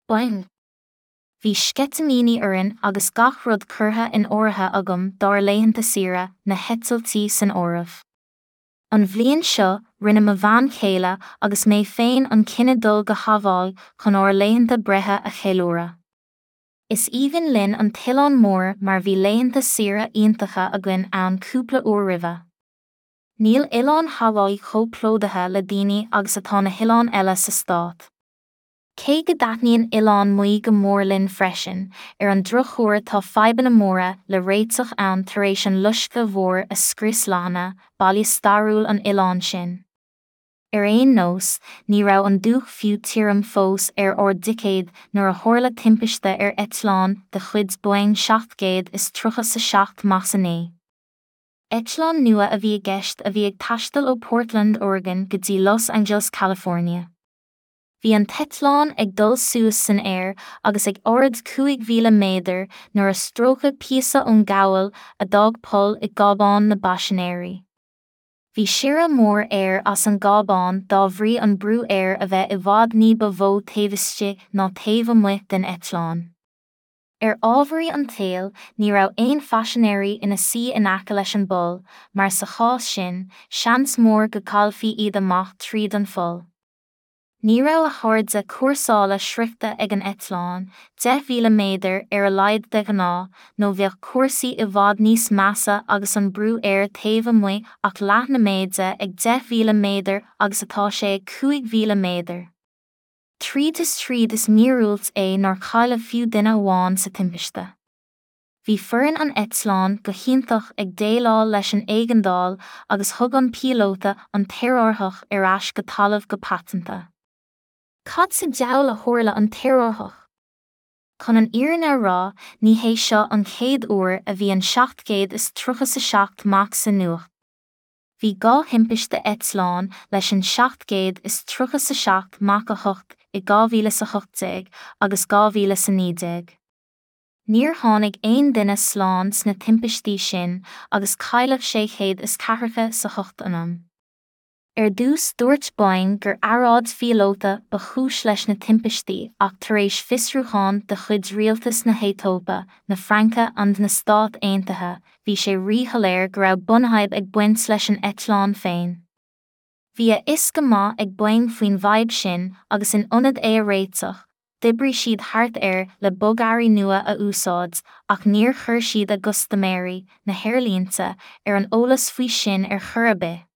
Boeing. Bhí sceitimíní orainn agus gach rud curtha in áirithe agam dár laethanta saoire, na heitiltí san áireamh. An bhliain seo, rinne mo bhean chéile agus mé féin an cinneadh dul go Haváí chun ár laethanta breithe a cheiliúradh. Is aoibhinn linn an t-oileán mór mar bhí laethanta saoire iontacha againn ann cúpla uair roimhe. Níl oileán Haváí chomh plódaithe le daoine agus atá na hoileáin eile sa stát. Cé go dtaitníonn Oileán Maui go mór linn freisin, ar an drochuair tá fadhbanna móra le réiteach ann tar éis an loiscthe mhóir a scrios Lahaina, baile stairiúil an oileáin sin. Ar aon nós, ní raibh an dúch fiú tirim fós ar ár dticéid nuair a tharla timpiste ar eitleán de chuid Boeing 737 Max 9. Eitleán nua a bhí i gceist a bhí ag taisteal ó Portland, Oregon go dtí Los Angeles, California. Bhí an t-eitleán ag dul suas san aer agus ag ard 5,000 méadar nuair a stróiceadh píosa ón gcabhail a d'fhág poll i gcábán na bpaisinéirí. Bhí siorradh mór aeir as an gcábán dá bhrí an brú aeir a bheith i bhfad ní ba mhó taobh istigh ná taobh amuigh den eitleán. Ar ámharaí an tsaoil, ní raibh aon phaisinéirí ina suí in aice leis an bpoll, mar sa chás sin, seans mór go gcaillfí iad amach tríd an pholl. Ní raibh a hairde cúrsála sroichte ag an eitleán, 10,000 méadar ar a laghad de ghnáth, nó bheadh cúrsaí i bhfad níos measa agus an brú aeir taobh amuigh ach leath na méide ag 10,000 méadar agus atá sé ag 5,000 méadar. Tríd is tríd is míorúilt é nár cailleadh fiú duine amháin sa timpiste. Bhí foireann an eitleáin go hiontach ag déileáil leis an éigeandáil agus thug an píolóta an t-aerárthach ar ais go talamh go paiteanta. Cad sa diabhal a tharla an t-aerárthach? Chun an fhírinne a rá, ní hé seo an chéad uair a bhí an 737 Max sa nuacht. Bhí dhá thimpiste eitleáin leis an 737 Max 8 i 2018 agus 2019. Níor tháinig aon duine slán sna timpistí sin agus cailleadh 648 anam. Ar dtús dúirt Boeing gur earráid phíolóta ba chúis leis na timpistí ach tar éis fiosrúchán de chuid rialtas na hAetóipe, na Fraince and na Stát Aontaithe, bhí sé ríshoiléir go raibh bunfhadhb ag baint leis an eitleán féin. Bhí a fhios go maith ag Boeing faoin bhfadhb sin agus in ionad é a réiteach, D'oibrigh siad thart air le bogearraí nua a úsáid ach níor chuir siad a gcustaiméirí, na haerlínte, ar an eolas faoi sin ar chor ar bith.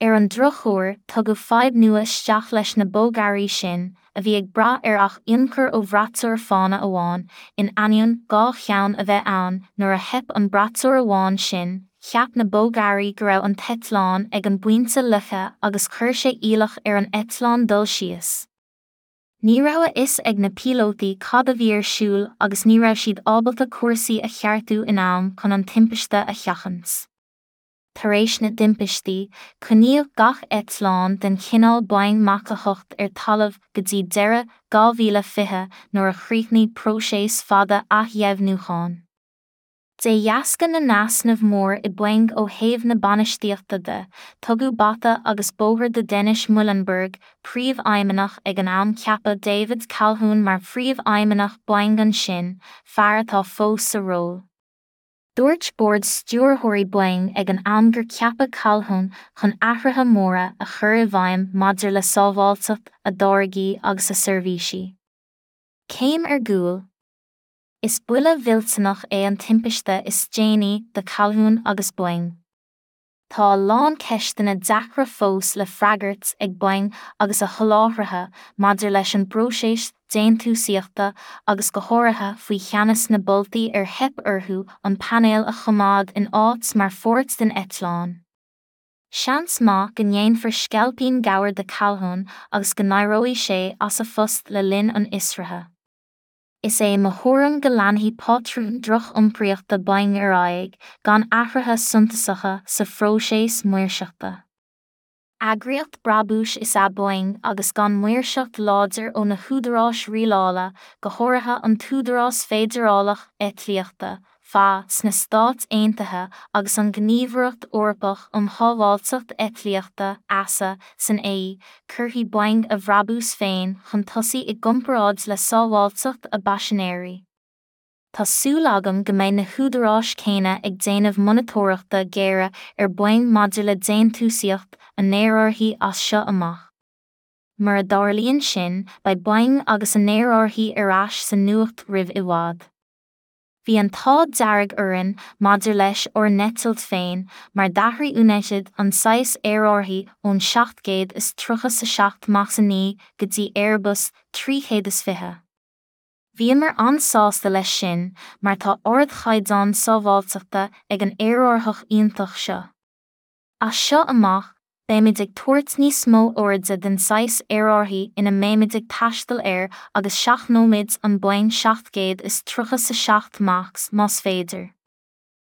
Ar an drochuair, tugadh fadhb nua isteach leis na bogearraí sin, a bhí ag brath ar ach ionchur ó bhraiteoir fána amháin, in ainneoin 2 cheann a bheith ann, nuair a theip an braiteoir amháin sin, cheap na bogearraí go raibh an t-eitleán ag an bpointe loicthe agus chuir sé iallach ar an eitleán dul síos. Ní raibh a fhios ag na píolótaí cad a bhí ar siúl agus ní raibh siad ábalta cúrsaí a cheartú in am chun an timpiste a sheachaint. Tar éis na dtimpistí, coinníodh gach eitleán den chineál Boeing Mach 8 ar talamh go dtí deireadh 2020 nuair a chríochnaigh próiseas fada athdheimhniúcháin. De dheasca na n-easnamh mór i Boeing ó thaobh na bainistíochta de, tugadh bata agus bóthar do Dennis Muilenburg, príomhfheidhmeannach ag an am Ceapadh David Calhoun mar phríomhfheidhmeannach Boeing ansin, fear atá fós sa ról. Dúirt bord stiúrthóirí Boeing ag an am gur ceapadh Calhoun chun athruithe móra a chur i bhfeidhm maidir le sábháilteacht a dtáirgí agus a seirbhísí. Céim ar gcúl. Is buille mhillteanach é an timpiste is déanaí do Calhoun agus Boeing. Tá a lán ceisteanna deacra fós le freagairt ag Boeing agus a sholáthraithe maidir leis an bpróiseas déantúsaíochta agus go háirithe faoi cheannas na boltaí ar theip orthu an painéal a choimeád in áit mar pháirt den eitleán. Seans maith go ndéanfar sceilpín gabhair de Calhoun agus go n-éireoidh sé as a phost le linn an fhiosraithe. Is é mo thuairim go leanfaidh pátrún droch-iompraíochta Boeing ar aghaidh, gan athruithe suntasacha sa phróiseas maoirseachta. Eagraíocht brabúis is ea Boeing agus gan maoirseacht láidir ó na húdaráis rialála, go háirithe an tÚdarás Feidearálach Eitlíochta, FAA, sna Stáit Aontaithe agus an Ghníomhaireacht Eorpach um Shábháilteacht Eitlíochta, EASA, san AE, cuirfidh Boeing a bhrabús féin chun tosaigh i gcomparáid le sábháilteacht a bpaisinéirí. Tá súil agam go mbeidh na húdaráis céanna ag déanamh monatóireachta géire ar Boeing maidir le déantúsaíocht a n-aerárthaí as seo amach. Mura dtarlaíonn sin, beidh Boeing agus a n-aerárthaí ar ais sa nuacht roimh i bhfad. Bhí an t-ádh dearg orainn maidir leis ár n-eitilt féin mar d'athraigh United an saghas aerárthaí ón 737 Max 9 go dtí Airbus 320. Bhíomar an-sásta leis sin mar tá ardchaighdeán sábháilteachta ag an aerárthach iontach seo. As seo amach, beimid ag tabhairt níos mó airde den saghas aerárthaí ina mbeimid ag taisteal air agus seachnóimid an Boeing 737 Max más féidir.